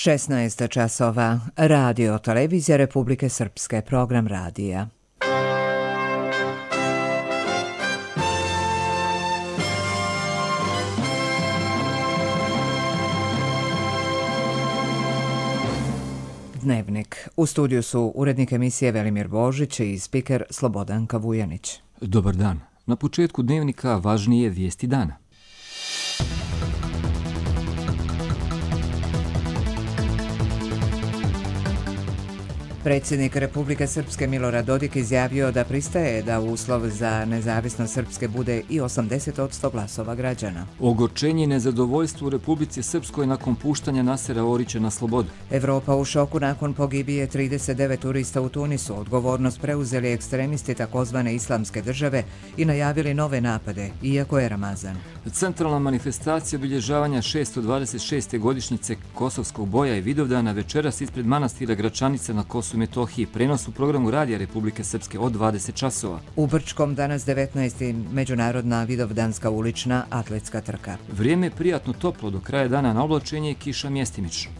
16 časova. Radio Televizija Republike Srpske. Program radija. Dnevnik. U studiju su urednik emisije Velimir Božić i spiker Slobodanka Vujanić. Dobar dan. Na početku dnevnika važnije vijesti dana. Predsjednik Republike Srpske Milorad Dodik izjavio da pristaje da uslov za nezavisnost Srpske bude i 80% glasova građana. Ogorčenje i nezadovoljstvo u Republici Srpskoj nakon puštanja Nasera Orića na slobodu. Evropa u šoku nakon pogibije 39 turista u Tunisu. Odgovornost preuzeli ekstremisti takozvane islamske države i najavili nove napade, iako je Ramazan. Centralna manifestacija obilježavanja 626. godišnjice Kosovskog boja i Vidovdana večeras ispred manastira Gračanice na Kosovu i Metohiji. Prenos u programu Radija Republike Srpske od 20 časova. U Brčkom danas 19. međunarodna vidovdanska ulična atletska trka. Vrijeme je prijatno toplo, do kraja dana na oblačenje i kiša mjestimično.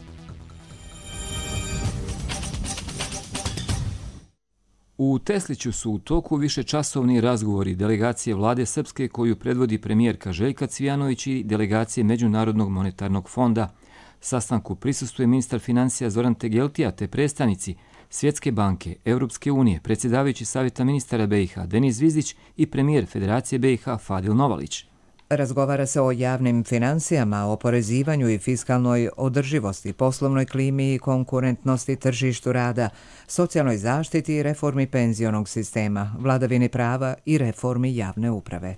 U Tesliću su u toku višečasovni razgovori delegacije vlade Srpske koju predvodi premijerka Željka Cvijanović i delegacije Međunarodnog monetarnog fonda. Sastanku prisustvuje ministar financija Zoran Tegeltija te predstavnici Svjetske banke, Europske unije, predsjedavajući Savjeta ministara BiH Denis Zvizdić i premijer Federacije BiH Fadil Novalić. Razgovara se o javnim financijama, oporezivanju i fiskalnoj održivosti, poslovnoj klimi i konkurentnosti tržištu rada, socijalnoj zaštiti i reformi penzionog sistema, vladavini prava i reformi javne uprave.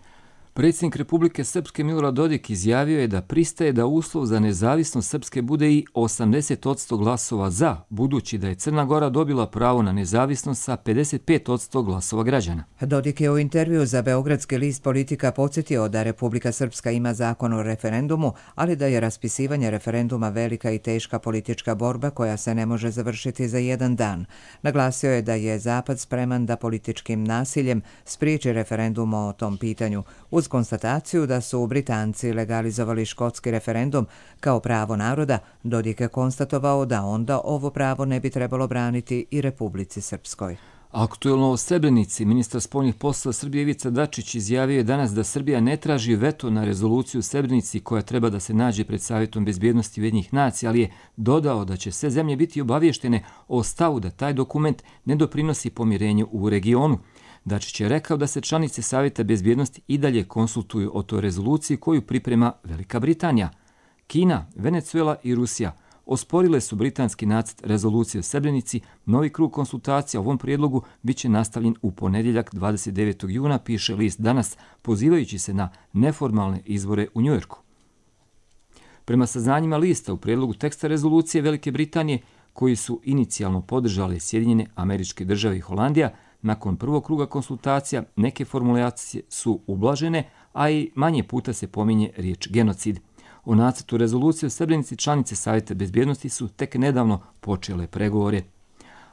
Predsjednik Republike Srpske Milorad Dodik izjavio je da pristaje da uslov za nezavisnost Srpske bude i 80% glasova za, budući da je Crna Gora dobila pravo na nezavisnost sa 55% glasova građana. Dodik je u intervju za Beogradski list Politika podsjetio da Republika Srpska ima zakon o referendumu, ali da je raspisivanje referenduma velika i teška politička borba koja se ne može završiti za jedan dan. Naglasio je da je Zapad spreman da političkim nasiljem spriječi referendum o tom pitanju, uz konstataciju da su Britanci legalizovali škotski referendum kao pravo naroda. Dodik je konstatovao da onda ovo pravo ne bi trebalo braniti i Republici Srpskoj. Aktuelno o Srebrenici, ministar spoljnih poslova Srbije Ivica Dačić izjavio je danas da Srbija ne traži veto na rezoluciju u Srebrenici koja treba da se nađe pred Savjetom bezbjednosti Ujedinjenih nacija, ali je dodao da će sve zemlje biti obavještene o stavu da taj dokument ne doprinosi pomirenju u regionu. Dačić je rekao da se članice Savjeta bezbjednosti i dalje konsultuju o toj rezoluciji koju priprema Velika Britanija. Kina, Venezuela i Rusija osporile su britanski nacrt rezolucije o Srebrenici. Novi krug konsultacija o ovom prijedlogu bit će nastavljen u ponedjeljak 29. juna, piše list Danas, pozivajući se na neformalne izbore u Njujorku. Prema saznanjima lista, u prijedlogu teksta rezolucije Velike Britanije, koji su inicijalno podržale Sjedinjene Američke Države i Holandija, nakon prvog kruga konsultacija neke formulacije su ublažene, a i manje puta se pominje riječ genocid. O nacrtu rezolucije o Srebrenici članice Savjeta bezbjednosti su tek nedavno počele pregovore.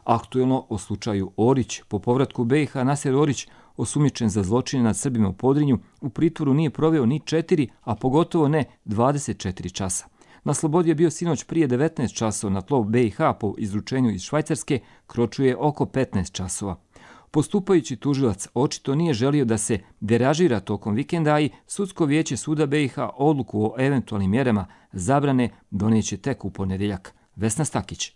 Aktuelno o slučaju Orić, po povratku BiH Naser Orić, osumnjičen za zločine nad Srbima u Podrinju, u pritvoru nije proveo ni 4, a pogotovo ne 24 časa. Na slobodi je bio sinoć prije 19 časova, na tlo BiH po izručenju iz Švajcarske kročuje oko 15 časova. Postupajući tužilac očito nije želio da se deražira tokom vikenda, i Sudsko vijeće suda BiH odluku o eventualnim mjerama zabrane doneće tek u ponedjeljak. Vesna Stakić.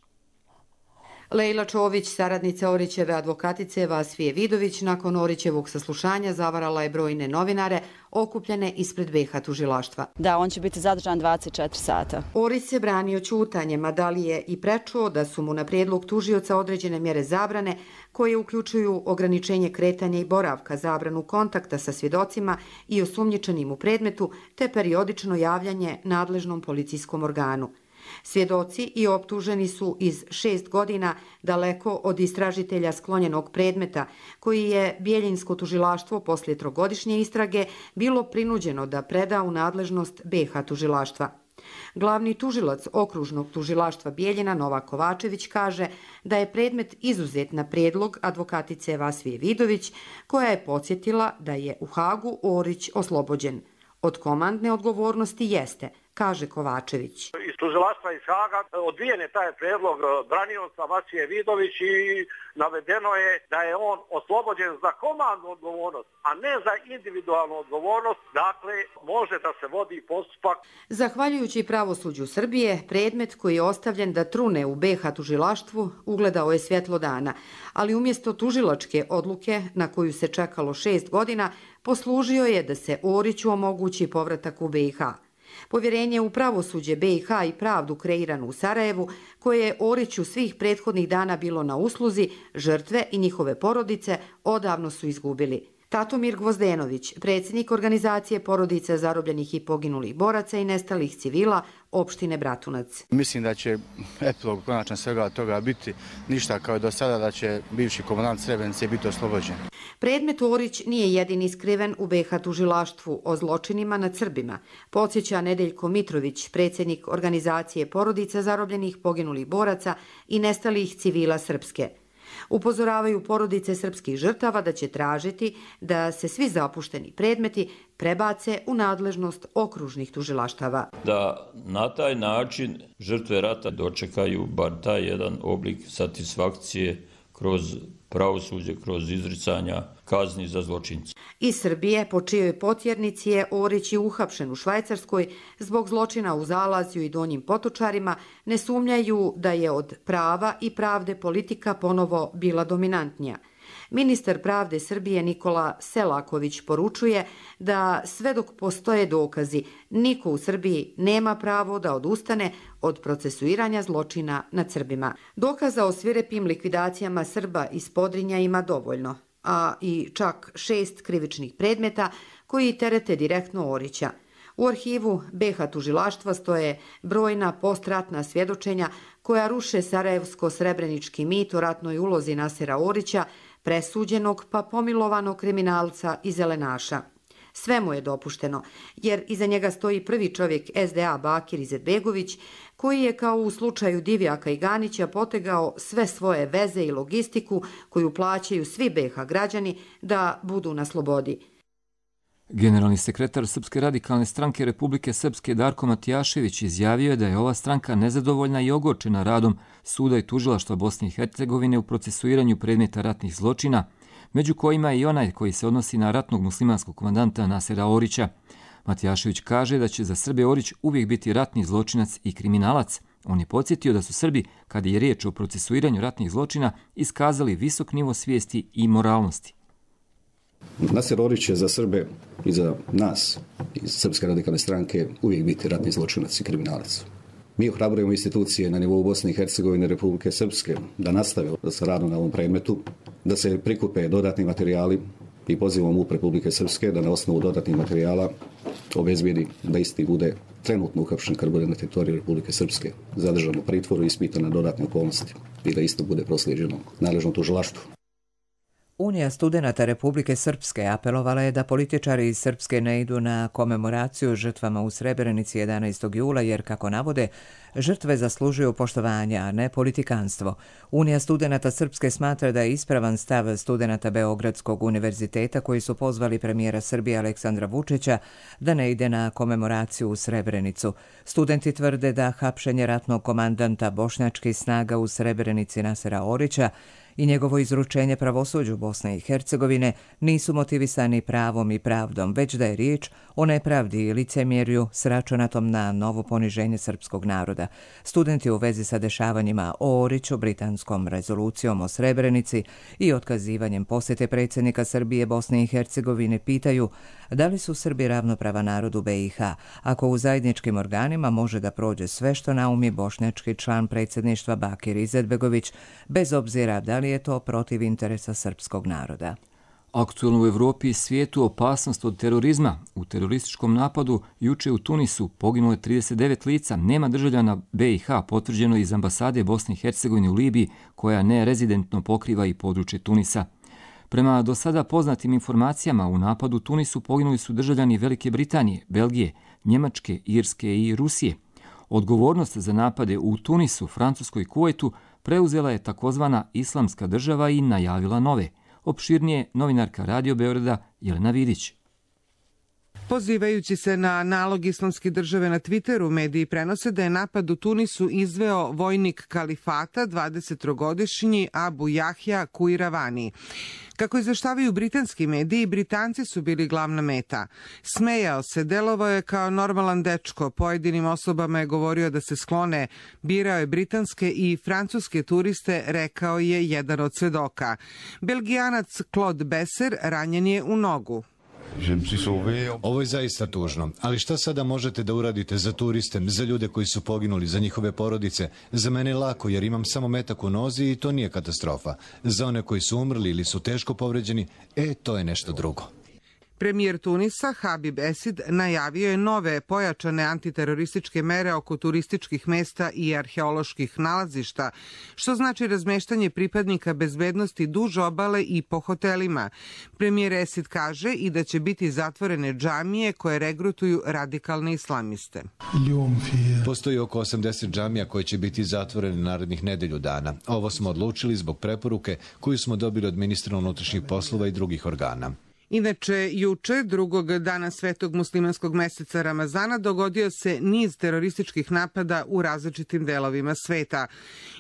Lejla Čović, saradnica Orićeve advokatice Vasfije Vidović, nakon Orićevog saslušanja zavarala je brojne novinare okupljene ispred BiH tužilaštva. Da, on će biti zadržan 24 sata. Orić se branio ćutanjem, a da li je i prečuo da su mu na prijedlog tužioca određene mjere zabrane koje uključuju ograničenje kretanja i boravka, zabranu kontakta sa svjedocima i osumnjičenim u predmetu, te periodično javljanje nadležnom policijskom organu. Svjedoci i optuženi su iz 6 godina daleko od istražitelja sklonjenog predmeta, koji je Bijeljinsko tužilaštvo poslije 3-godišnje istrage bilo prinuđeno da preda u nadležnost BiH tužilaštva. Glavni tužilac okružnog tužilaštva Bijeljina Nova Kovačević kaže da je predmet izuzet na prijedlog advokatice Vasfije Vidović, koja je podsjetila da je u Hagu Orić oslobođen. Od komandne odgovornosti jeste, kaže Kovačević. Iz tužilaštva iz Haga odbijen je taj predlog branioca Vasije Vidović i navedeno je da je on oslobođen za komandnu odgovornost, a ne za individualnu odgovornost, dakle može da se vodi postupak. Zahvaljujući pravosuđu Srbije, predmet koji je ostavljen da trune u BiH tužilaštvu ugledao je svjetlo dana, ali umjesto tužilačke odluke na koju se čekalo 6 godina, poslužio je da se Oriću omogući povratak u BiH. Povjerenje u pravosuđe BiH i pravdu kreiranu u Sarajevu, koje je Oriću svih prethodnih dana bilo na usluzi, žrtve i njihove porodice odavno su izgubili. Tatomir Gvozdenović, predsjednik organizacije porodice zarobljenih i poginulih boraca i nestalih civila opštine Bratunac. Mislim da će epilog konačan svega toga biti ništa kao do sada, da će bivši komandant Srebrenice biti oslobođen. Predmet Orić nije jedini skriven u BiH tužilaštvu o zločinima nad Srbima, podsjeća Nedeljko Mitrović, predsjednik organizacije porodica zarobljenih poginulih boraca i nestalih civila Srpske. Upozoravaju porodice srpskih žrtava da će tražiti da se svi zapušteni predmeti prebace u nadležnost okružnih tužilaštava. Da na taj način žrtve rata dočekaju bar taj jedan oblik satisfakcije kroz pravosuđe, kroz izricanja kazni za zločince. Iz Srbije, po čijoj potjernici je Orić i uhapšen u Švajcarskoj zbog zločina u Zalazju i Donjim Potočarima, ne sumnjaju da je od prava i pravde politika ponovo bila dominantnija. Ministar pravde Srbije Nikola Selaković poručuje da sve dok postoje dokazi, niko u Srbiji nema pravo da odustane od procesuiranja zločina nad Srbima. Dokaza o svirepim likvidacijama Srba iz Podrinja ima dovoljno, a i čak 6 krivičnih predmeta koji terete direktno Orića. U arhivu BiH tužilaštva stoje brojna postratna svjedočenja koja ruše sarajevsko-srebrenički mit o ratnoj ulozi Nasera Orića, presuđenog pa pomilovanog kriminalca i zelenaša. Sve mu je dopušteno, jer iza njega stoji prvi čovjek SDA Bakir Izetbegović, koji je kao u slučaju Divjaka i Ganića potegao sve svoje veze i logistiku koju plaćaju svi BiH građani da budu na slobodi. Generalni sekretar Srpske radikalne stranke Republike Srpske Darko Matijašević izjavio je da je ova stranka nezadovoljna i ogorčena radom suda i tužilaštva Bosne i Hercegovine u procesuiranju predmeta ratnih zločina, među kojima je i onaj koji se odnosi na ratnog muslimanskog komandanta Nasera Orića. Matijašević kaže da će za Srbe Orić uvijek biti ratni zločinac i kriminalac. On je podsjetio da su Srbi, kada je riječ o procesuiranju ratnih zločina, iskazali visok nivo svijesti i moralnosti. Naser Orić je za Srbe i za nas iz Srpske radikalne stranke uvijek biti ratni zločinac i kriminalac. Mi ohrabrujemo institucije na nivou Bosne i Hercegovine, Republike Srpske da nastave sa radom na ovom predmetu, da se prikupe dodatni materijali i pozivamo MUP Republike Srpske da na osnovu dodatnih materijala obezbijedi da isti bude trenutno uhapšen kad bude na teritoriji Republike Srpske, zadržan u pritvoru i ispitan na dodatne okolnosti i da isto bude proslijeđeno nadležnom tužilaštvu. Unija studenata Republike Srpske apelovala je da političari iz Srpske ne idu na komemoraciju žrtvama u Srebrenici 11. jula jer, kako navode, žrtve zaslužuju poštovanje, a ne politikanstvo. Unija studenata Srpske smatra da je ispravan stav studenata Beogradskog univerziteta koji su pozvali premijera Srbije Aleksandra Vučića da ne ide na komemoraciju u Srebrenicu. Studenti tvrde da hapšenje ratnog komandanta bošnjačkih snaga u Srebrenici Nasera Orića i njegovo izručenje pravosuđu Bosne i Hercegovine nisu motivisani pravom i pravdom, već da je riječ o nepravdi i licemjerju s računatom na novo poniženje srpskog naroda. Studenti u vezi sa dešavanjima o Oriću, britanskom rezolucijom o Srebrenici i otkazivanjem posjete predsjednika Srbije Bosne i Hercegovine pitaju da li su Srbi ravnopravan narod u BiH, ako u zajedničkim organima može da prođe sve što naumi bošnjački član predsjedništva Bakir Izetbegović, bez obzira da li je to protiv interesa srpskog naroda. Aktualno u Evropi i svijetu opasnost od terorizma. U terorističkom napadu juče u Tunisu poginulo je 39 lica, nema državljana BiH, potvrđeno iz ambasade Bosne i Hercegovine u Libiji, koja nerezidentno pokriva i područje Tunisa. Prema do sada poznatim informacijama, u napadu u Tunisu poginuli su državljani Velike Britanije, Belgije, Njemačke, Irske i Rusije. Odgovornost za napade u Tunisu, Francuskoj i Kuvajtu preuzela je takozvana Islamska država i najavila nove. Opširnije novinarka Radio Beograda Jelena Vidić. Pozivajući se na nalog Islamske države na Twitteru, mediji prenose da je napad u Tunisu izveo vojnik kalifata, 23-godišnji Abu Jahja Kuiravani. Kako izveštavaju britanski mediji, Britanci su bili glavna meta. Smejao se, delovao je kao normalan dečko, pojedinim osobama je govorio da se sklone, birao je britanske i francuske turiste, rekao je jedan od svedoka. Belgijanac Claude Besser ranjen je u nogu. Ovo je zaista tužno, ali šta sada možete da uradite za turiste, za ljude koji su poginuli, za njihove porodice? Za mene je lako jer imam samo metak u nozi i to nije katastrofa. Za one koji su umrli ili su teško povređeni, to je nešto drugo. Premijer Tunisa Habib Esid najavio je nove pojačane antiterorističke mere oko turističkih mesta i arheoloških nalazišta, što znači razmeštanje pripadnika bezbednosti duž obale i po hotelima. Premijer Esid kaže i da će biti zatvorene džamije koje regrutuju radikalne islamiste. Postoji oko 80 džamija koje će biti zatvorene narednih nedelju dana. Ovo smo odlučili zbog preporuke koju smo dobili od ministra unutrašnjih poslova i drugih organa. Inače, juče, drugog dana svetog muslimanskog meseca Ramazana, dogodio se niz terorističkih napada u različitim delovima sveta.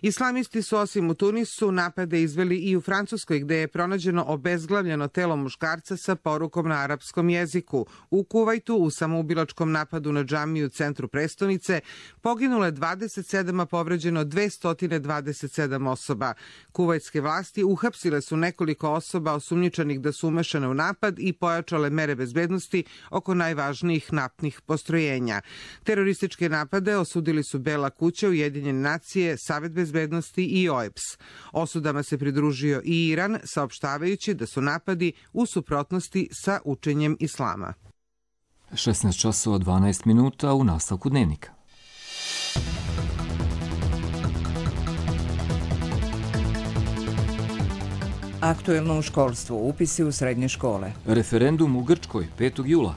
Islamisti su osim u Tunisu napade izveli i u Francuskoj, gde je pronađeno obezglavljeno telo muškarca sa porukom na arapskom jeziku. U Kuvajtu, u samoubilačkom napadu na džamiju u centru prestonice, poginulo je 27, a povređeno 227 osoba. Kuvajtske vlasti uhapsile su nekoliko osoba osumnjičenih da su umešane u napad i pojačale mere bezbednosti oko najvažnijih naftnih postrojenja. Terorističke napade osudili su Bela kuća, Ujedinjene nacije, Savet bezbednosti i OEBS. Osudama se pridružio i Iran, saopštavajući da su napadi u suprotnosti sa učenjem islama. 16:12 u nastavku dnevnika. Aktuelno u školstvu, upisi u srednje škole. Referendum u Grčkoj 5. jula.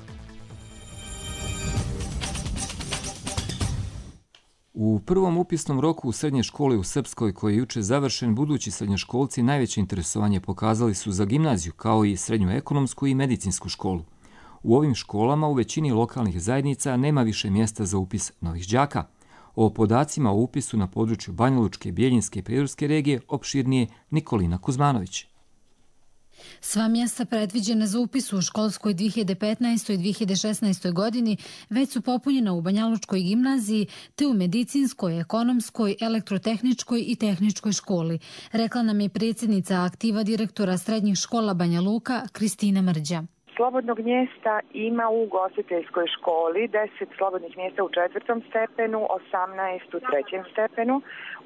U prvom upisnom roku u srednje škole u Srpskoj, koji je juče završen, budući srednjoškolci najveće interesovanje pokazali su za gimnaziju, kao i srednju ekonomsku i medicinsku školu. U ovim školama u većini lokalnih zajednica nema više mjesta za upis novih đaka. O podacima o upisu na području Banjalučke, Bijeljinske i Prijedorske regije opširnije Nikolina Kuzmanović. Sva mjesta predviđena za upis u školskoj 2015. i 2016. godini već su popunjena u Banjalučkoj gimnaziji te u medicinskoj, ekonomskoj, elektrotehničkoj i tehničkoj školi, rekla nam je predsjednica aktiva direktora srednjih škola Banja Luka Kristina Mrđa. Slobodnog mjesta ima u ugostiteljskoj školi, 10 slobodnih mjesta u 4. stepenu, 18 u 3. stepenu,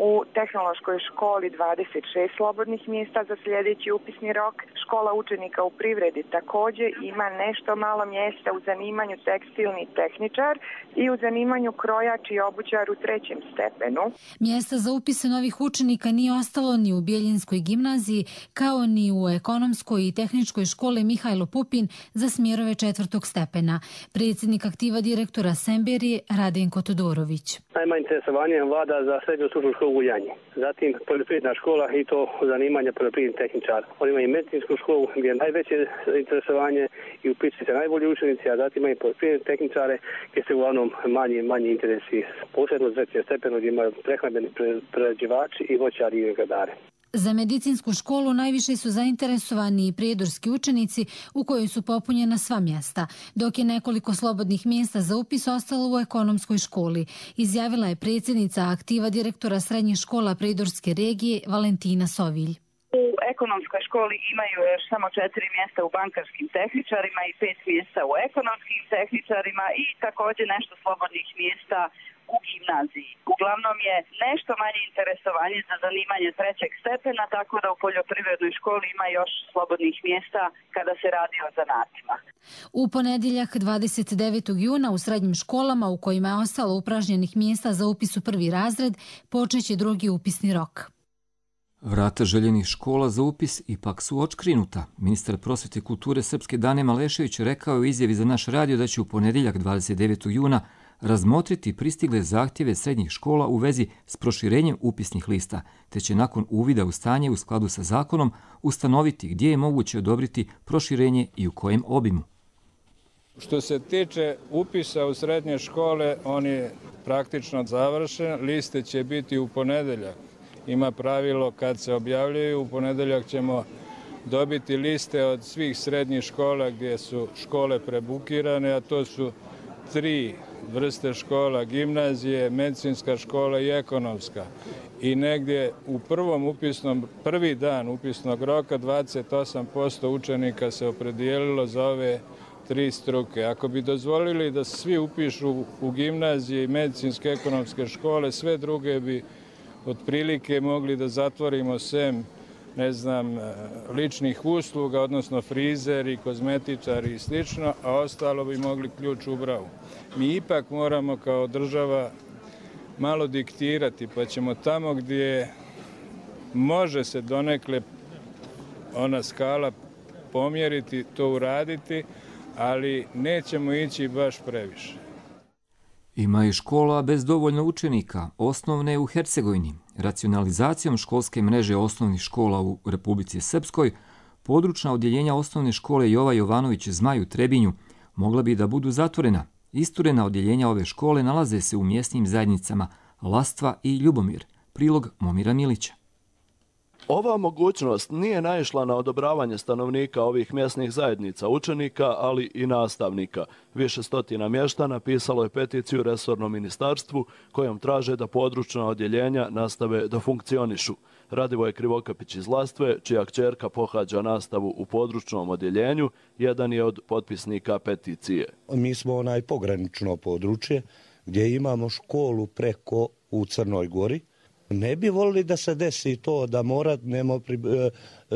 u tehnološkoj školi 26 slobodnih mjesta za sljedeći upisni rok. Škola učenika u privredi također ima nešto malo mjesta u zanimanju tekstilni tehničar i u zanimanju krojač i obućar u 3. stepenu. Mjesta za upise novih učenika nije ostalo ni u Bijeljinskoj gimnaziji, kao ni u ekonomskoj i tehničkoj školi Mihajlo Pupin za smjerove 4. stepena. Predsjednik aktiva direktora Semberije Radenko Todorović. Najmanje interesovanje vlada za srednju stručnu školu u Janji. Zatim poljoprivredna škola i to zanimanje poljoprivrednih tehničara. Oni imaju medicinsku školu gdje je najveće interesovanje i upisuju se najbolji učenici, a zatim imaju poljoprivredne tehničare gdje se uglavnom manji interesi. Posebno za 3. stepenu gdje imaju prehrambeni prerađivači i voćari i vinogradari. Za medicinsku školu najviše su zainteresovani i prijedorski učenici u kojoj su popunjena sva mjesta, dok je nekoliko slobodnih mjesta za upis ostalo u ekonomskoj školi, izjavila je predsjednica aktiva direktora srednjih škola Prijedorske regije Valentina Sovilj. U ekonomskoj školi imaju još samo 4 mjesta u bankarskim tehničarima i 5 mjesta u ekonomskim tehničarima i također nešto slobodnih mjesta u gimnaziji. Uglavnom je nešto manje interesovanje za zanimanje 3. stepena, tako da u poljoprivrednoj školi ima još slobodnih mjesta kada se radi o zanatima. U ponedjeljak 29. juna u srednjim školama u kojima je ostalo upražnjenih mjesta za upis u 1. razred počeće 2. upisni rok. Vrata željenih škola za upis ipak su odškrinuta. Ministar prosvjete i kulture Srpske Dane Malešević rekao je u izjavi za naš radio da će u ponedjeljak 29. juna razmotriti pristigle zahtjeve srednjih škola u vezi s proširenjem upisnih lista, te će nakon uvida u stanje u skladu sa zakonom ustanoviti gdje je moguće odobriti proširenje i u kojem obimu. Što se tiče upisa u srednje škole, on je praktično završen. Liste će biti u ponedeljak. Ima pravilo kad se objavljuju, u ponedeljak ćemo dobiti liste od svih srednjih škola gdje su škole prebukirane, a to su 3 vrste škola, gimnazije, medicinska škola i ekonomska. I negdje u prvi dan upisnog roka 28% učenika se opredijelilo za ove 3 struke. Ako bi dozvolili da se svi upišu u gimnazije i medicinske ekonomske škole, sve druge bi otprilike mogli da zatvorimo sem, ličnih usluga, odnosno frizeri, kozmetičari i slično, a ostalo bi mogli ključ u bravu. Mi ipak moramo kao država malo diktirati, pa ćemo tamo gdje može se donekle ona skala pomjeriti, to uraditi, ali nećemo ići baš previše. Ima i škola bez dovoljno učenika, osnovne u Hercegovini. Racionalizacijom školske mreže osnovnih škola u Republici Srpskoj, područna odjeljenja osnovne škole Jova Jovanović Zmaj u Trebinju mogla bi da budu zatvorena. Isturena odjeljenja ove škole nalaze se u mjesnim zajednicama Lastva i Ljubomir. Prilog Momira Milića. Ova mogućnost nije naišla na odobravanje stanovnika ovih mjesnih zajednica, učenika, ali i nastavnika. Više stotina mještana pisalo je peticiju resornom ministarstvu kojom traže da područna odjeljenja nastave da funkcionišu. Radivoj Krivokapić iz Lastve, čija kćerka pohađa nastavu u područnom odjeljenju, jedan je od potpisnika peticije. Mi smo pogranično područje gdje imamo školu preko u Crnoj Gori. Ne bi volili da se desi to da moramo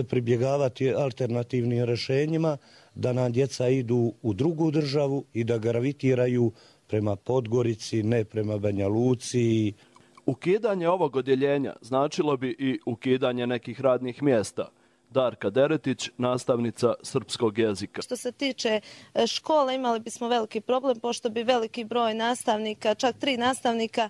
pribjegavati alternativnim rješenjima, da nam djeca idu u drugu državu i da gravitiraju prema Podgorici, ne prema Banja Luci. Ukidanje ovog odjeljenja značilo bi i ukidanje nekih radnih mjesta. Darka Deretić, nastavnica srpskog jezika. Što se tiče škole, imali bismo veliki problem, pošto bi veliki broj nastavnika, čak 3 nastavnika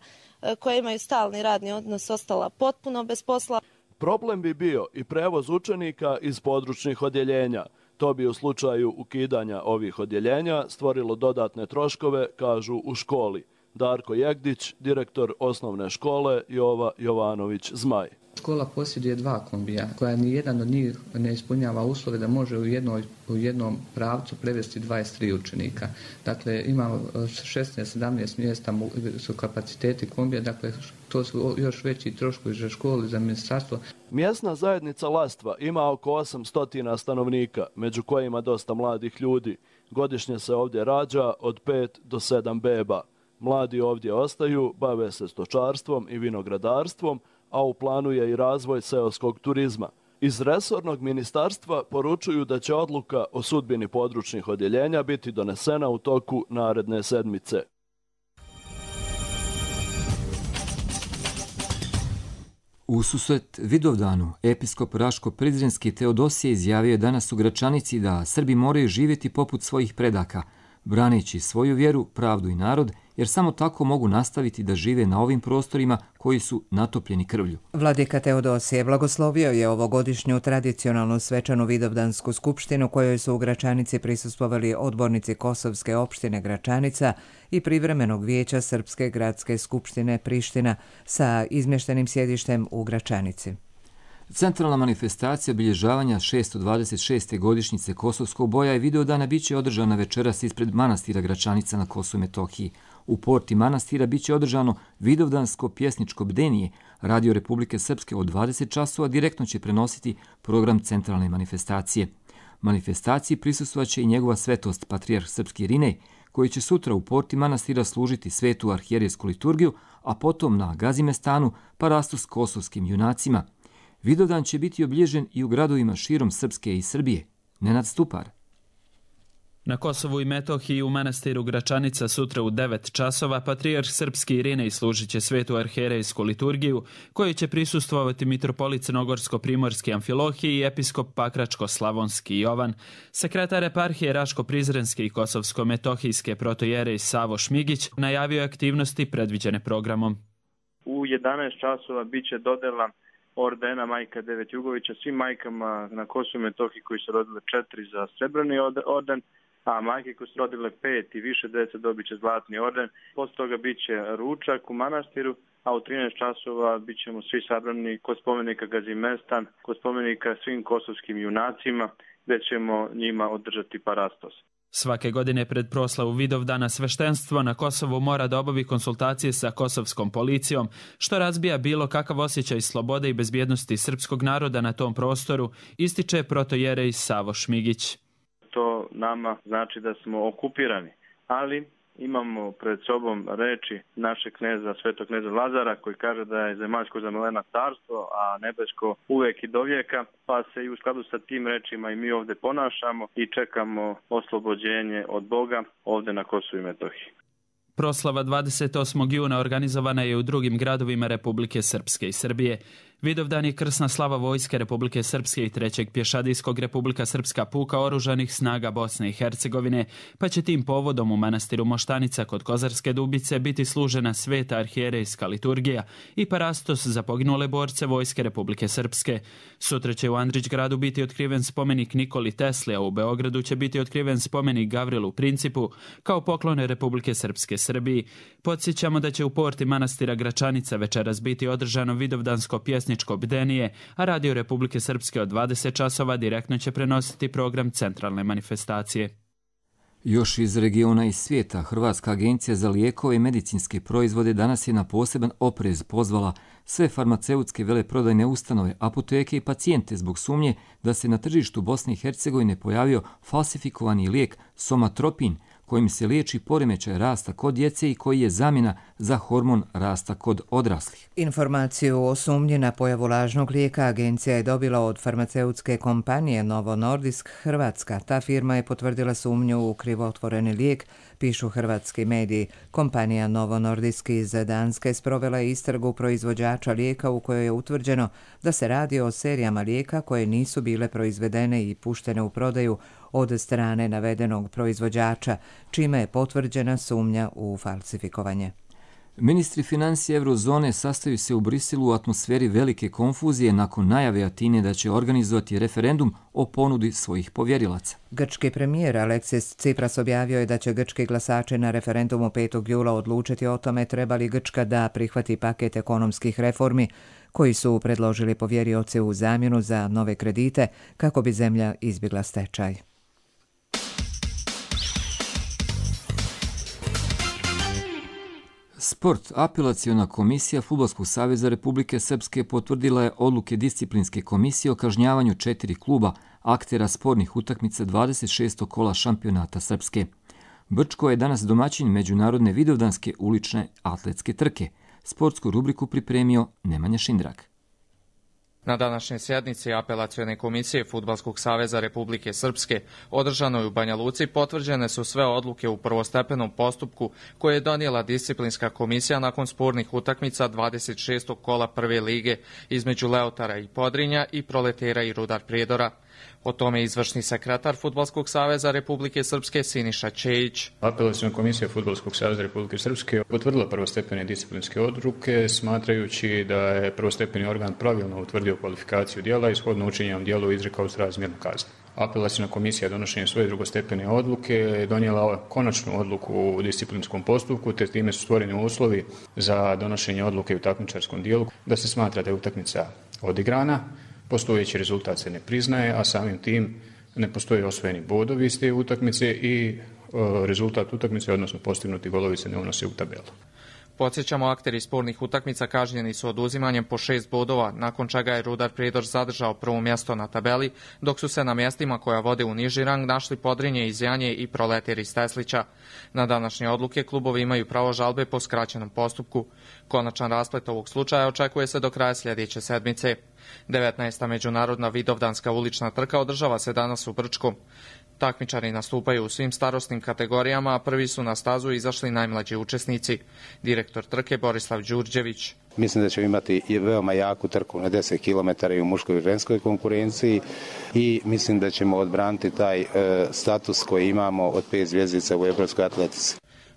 koji imaju stalni radni odnos, ostala potpuno bez posla. Problem bi bio i prevoz učenika iz područnih odjeljenja. To bi u slučaju ukidanja ovih odjeljenja stvorilo dodatne troškove, kažu u školi. Darko Jegdić, direktor osnovne škole Jova Jovanović Zmaj. Škola posjeduje 2 kombija, koja nijedan od njih ne ispunjava uslove da može u jednom pravcu prevesti 23 učenika. Dakle, imamo 16-17 mjesta su kapaciteti kombija, dakle, to su još veći troškovi za školu i za ministarstvo. Mjesna zajednica Lastva ima oko 800 stanovnika, među kojima dosta mladih ljudi. Godišnje se ovdje rađa od 5 do 7 beba. Mladi ovdje ostaju, bave se stočarstvom i vinogradarstvom, a u planu je i razvoj seoskog turizma. Iz resornog ministarstva poručuju da će odluka o sudbini područnih odjeljenja biti donesena u toku naredne sedmice. U susret Vidovdanu, episkop Raško-Prizrenski Teodosije izjavio je danas u Gračanici da Srbi moraju živjeti poput svojih predaka, braneći svoju vjeru, pravdu i narod, jer samo tako mogu nastaviti da žive na ovim prostorima koji su natopljeni krvlju. Vladika Teodosije blagoslovio je ovogodišnju tradicionalnu svečanu Vidovdansku skupštinu kojoj su u Gračanici prisustvovali odbornici Kosovske opštine Gračanica i privremenog vijeća Srpske gradske skupštine Priština sa izmještenim sjedištem u Gračanici. Centralna manifestacija obilježavanja 626. godišnjice Kosovskog boja i Vidovdana biće održana večeras ispred manastira Gračanica na Kosovu i Metohiji. U porti manastira biće održano Vidovdansko pjesničko bdenije. Radio Republike Srpske od 20 časova direktno će prenositi program centralne manifestacije. Manifestaciji prisustvovaće i njegova svetost patrijarh Srpski Irinej, koji će sutra u porti manastira služiti svetu arhijerijsku liturgiju, a potom na Gazimestanu parastos kosovskim junacima. Vidovdan će biti obilježen i u gradovima širom Srpske i Srbije. Nenad Stupar. Na Kosovu i Metohiji u manastiru Gračanica sutra u 9 časova patrijarh Srpski Irinej služit će svetu arhijerejsku liturgiju, kojoj će prisustvovati mitropolit Crnogorsko-Primorski Amfilohije i episkop Pakračko-Slavonski Jovan. Sekretar eparhije Raško-Prizrenske i Kosovsko-Metohijske protojerej Savo Šmigić najavio aktivnosti predviđene programom. U 11 časova biće dodela ordena Majka Devet Jugovića svim majkama na Kosovu i Metohiji koji su rodile 4 za srebrni orden, a majke koje su rodile 5 i više dece dobit će zlatni orden. Posle toga bit će ručak u manastiru, a u 13 časova bit ćemo svi sabrani kod spomenika Gazimestan, kod spomenika svim kosovskim junacima, gde ćemo njima održati parastos. Svake godine pred proslavu Vidovdana sveštenstvo na Kosovu mora da obavi konsultacije sa kosovskom policijom, što razbija bilo kakav osjećaj slobode i bezbjednosti srpskog naroda na tom prostoru, ističe protojerej Savo Šmigić. To nama znači da smo okupirani, ali imamo pred sobom reči našeg kneza, svetog kneza Lazara, koji kaže da je zemaljsko zamelena carstvo, a nebesko uvek i dovijeka, pa se i u skladu sa tim rečima i mi ovde ponašamo i čekamo oslobođenje od Boga ovde na Kosovu i Metohiji. Proslava 28. juna organizovana je u drugim gradovima Republike Srpske i Srbije. Vidovdan je krsna slava Vojske Republike Srpske i 3. pješadijskog Republika Srpska puka oružanih snaga Bosne i Hercegovine, pa će tim povodom u manastiru Moštanica kod Kozarske Dubice biti služena sveta arhijerejska liturgija i parastos za poginule borce Vojske Republike Srpske. Sutra će u Andrićgradu biti otkriven spomenik Nikoli Tesli, a u Beogradu će biti otkriven spomenik Gavrilu Principu kao poklone Republike Srpske Srbiji. Podsjećamo da će u porti manastira Gračanica večeras biti održano vidovdansko pjesničko bdenije, a Radio Republike Srpske od 20 časova direktno će prenositi program centralne manifestacije. Još iz regiona i svijeta, Hrvatska agencija za lijekove i medicinske proizvode danas je na poseban oprez pozvala sve farmaceutske veleprodajne ustanove, apoteke i pacijente zbog sumnje da se na tržištu Bosne i Hercegovine pojavio falsifikovani lijek Somatropin, kojim se liječi poremećaj rasta kod djece i koji je zamjena za hormon rasta kod odraslih. Informaciju o sumnji na pojavu lažnog lijeka agencija je dobila od farmaceutske kompanije Novo Nordisk Hrvatska. Ta firma je potvrdila sumnju u krivotvoreni lijek, pišu hrvatski mediji. Kompanija Novo Nordisk iz Danske sprovela je istragu proizvođača lijeka u kojoj je utvrđeno da se radi o serijama lijeka koje nisu bile proizvedene i puštene u prodaju od strane navedenog proizvođača, čime je potvrđena sumnja u falsifikovanje. Ministri financije Eurozone sastaju se u Briselu u atmosferi velike konfuzije nakon najave Atine da će organizovati referendum o ponudi svojih povjerilaca. Grčki premijer Aleksis Tsipras objavio je da će grčki glasači na referendumu 5. jula odlučiti o tome treba li Grčka da prihvati paket ekonomskih reformi koji su predložili povjerioci u zamjenu za nove kredite kako bi zemlja izbjegla stečaj. Sport. Apelaciona komisija Fudbalskog saveza Republike Srpske potvrdila je odluke disciplinske komisije o kažnjavanju 4 kluba aktera spornih utakmica 26. kola šampionata Srpske. Brčko je danas domaćin međunarodne vidovdanske ulične atletske trke. Sportsku rubriku pripremio Nemanja Šindrak. Na današnjoj sjednici Apelacione komisije Fudbalskog saveza Republike Srpske održanoj u Banja Luci potvrđene su sve odluke u prvostepenom postupku koje je donijela disciplinska komisija nakon spornih utakmica 26. kola prve lige između Leotara i Podrinja i Proletera i Rudar Prijedora. O tome izvršni sekretar Fudbalskog saveza Republike Srpske Siniša Čejić. Apelaciona komisija Fudbalskog saveza Republike Srpske potvrdila prvostepene disciplinske odluke, smatrajući da je prvostepeni organ pravilno utvrdio kvalifikaciju djela i shodno učinjenom djelu izrekao srazmjernu kaznu. Apelaciona komisija donošenjem svoje drugostepene odluke je donijela konačnu odluku u disciplinskom postupku, te time su stvoreni uslovi za donošenje odluke u takmičarskom dijelu, da se smatra da je utakmica odigrana. Postojeći rezultat se ne priznaje, a samim tim ne postoje osvojeni bodovi iz te utakmice i rezultat utakmice, odnosno postignuti golovi, se ne unose u tabelu. Podsjećamo, akteri spornih utakmica kažnjeni su oduzimanjem po 6 bodova, nakon čega je Rudar Prijedor zadržao prvo mjesto na tabeli, dok su se na mjestima koja vode u niži rang našli Podrinje iz Janje i Proleter iz Teslića. Na današnje odluke klubovi imaju pravo žalbe po skraćenom postupku. Konačan rasplet ovog slučaja očekuje se do kraja sljedeće sedmice. 19. međunarodna vidovdanska ulična trka održava se danas u Brčkom. Takmičari nastupaju u svim starosnim kategorijama, a prvi su na stazu izašli najmlađi učesnici. Direktor trke Borislav Đurđević. Mislim da ćemo imati veoma jaku trku na 10 km i u muškoj i ženskoj konkurenciji i mislim da ćemo odbraniti taj status koji imamo od 5 zvjezdica u evropskoj atletici.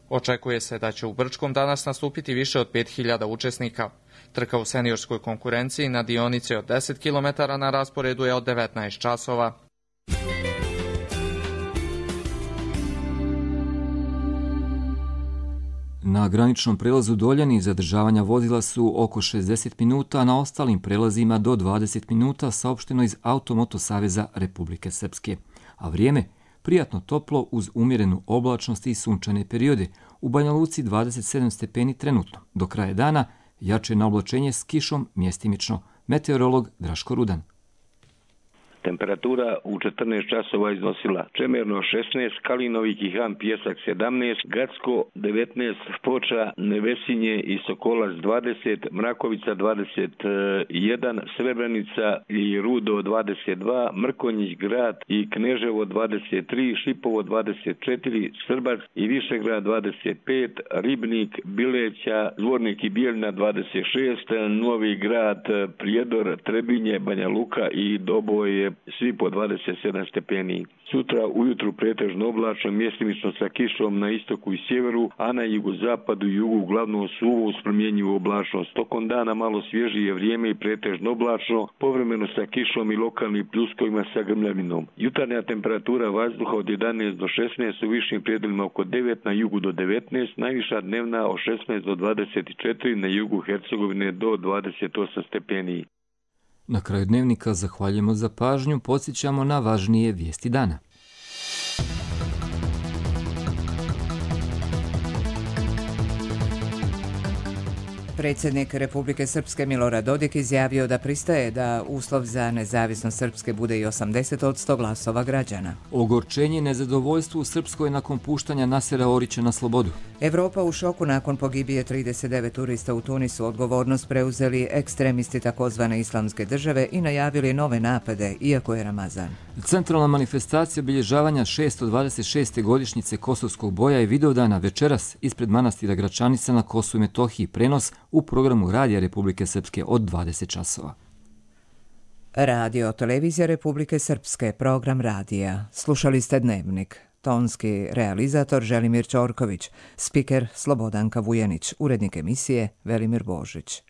Očekuje se da će u Brčkom danas nastupiti više od 5000 učesnika. Trka u seniorskoj konkurenciji na dionici od 10 km na rasporedu je od 19 časova. Na graničnom prelazu Doljani zadržavanja vozila su oko 60 minuta, a na ostalim prelazima do 20 minuta, saopšteno iz Automoto Saveza Republike Srpske. A vrijeme prijatno toplo uz umjerenu oblačnost i sunčane periode. U Banja Luci 27 stepeni trenutno. Do kraja dana jače na oblačenje s kišom mjestimično. Meteorolog Draško Rudan. Temperatura u 14 časova iznosila Čemerno 16, Kalinovi Kihan Pjesak 17, Gacko 19, Foča, Nevesinje i Sokolac 20, Mrakovica 21, Srebrenica i Rudo 22, Mrkonjić Grad i Kneževo 23, Šipovo 24, Srbac i Višegrad 25, Ribnik, Bileća, Zvornik i Bijeljina 26, Novi Grad, Prijedor, Trebinje, Banja Luka i Doboj svi po 27 stepeni. Sutra ujutru pretežno oblačno, mjestimično sa kišom na istoku i sjeveru, a na jugozapadu i jugu uglavnom suvo uz promjenjivu oblačnost. Tokom dana malo svježije vrijeme i pretežno oblačno, povremeno sa kišom i lokalnim pljuskovima sa grmljavinom. Jutarnja temperatura vazduha od 11 do 16, u višim predjelima oko 9, na jugu do 19, najviša dnevna od 16 do 24, na jugu Hercegovine do 28 stepeni. Na kraju dnevnika zahvaljujemo za pažnju, podsjećamo na važnije vijesti dana. Predsjednik Republike Srpske Milorad Dodik izjavio da pristaje da uslov za nezavisnost Srpske bude i 80% glasova građana. Ogorčenje i nezadovoljstvo u Srpskoj nakon puštanja Nasera Orića na slobodu. Evropa u šoku nakon pogibije 39 turista u Tunisu. Odgovornost preuzeli ekstremisti takozvane islamske države i najavili nove napade, iako je Ramazan. Centralna manifestacija obilježavanja 626. godišnjice Kosovskog boja i Vidovdana večeras ispred manastira Gračanica na Kosovu i Metohiji, prenos u programu Radija Republike Srpske od 20 časova. Radio Televizija Republike Srpske, program radija. Slušali ste Dnevnik. Tonski realizator Želimir Ćorković, spiker Slobodanka Vujanić, urednik emisije Velimir Božić.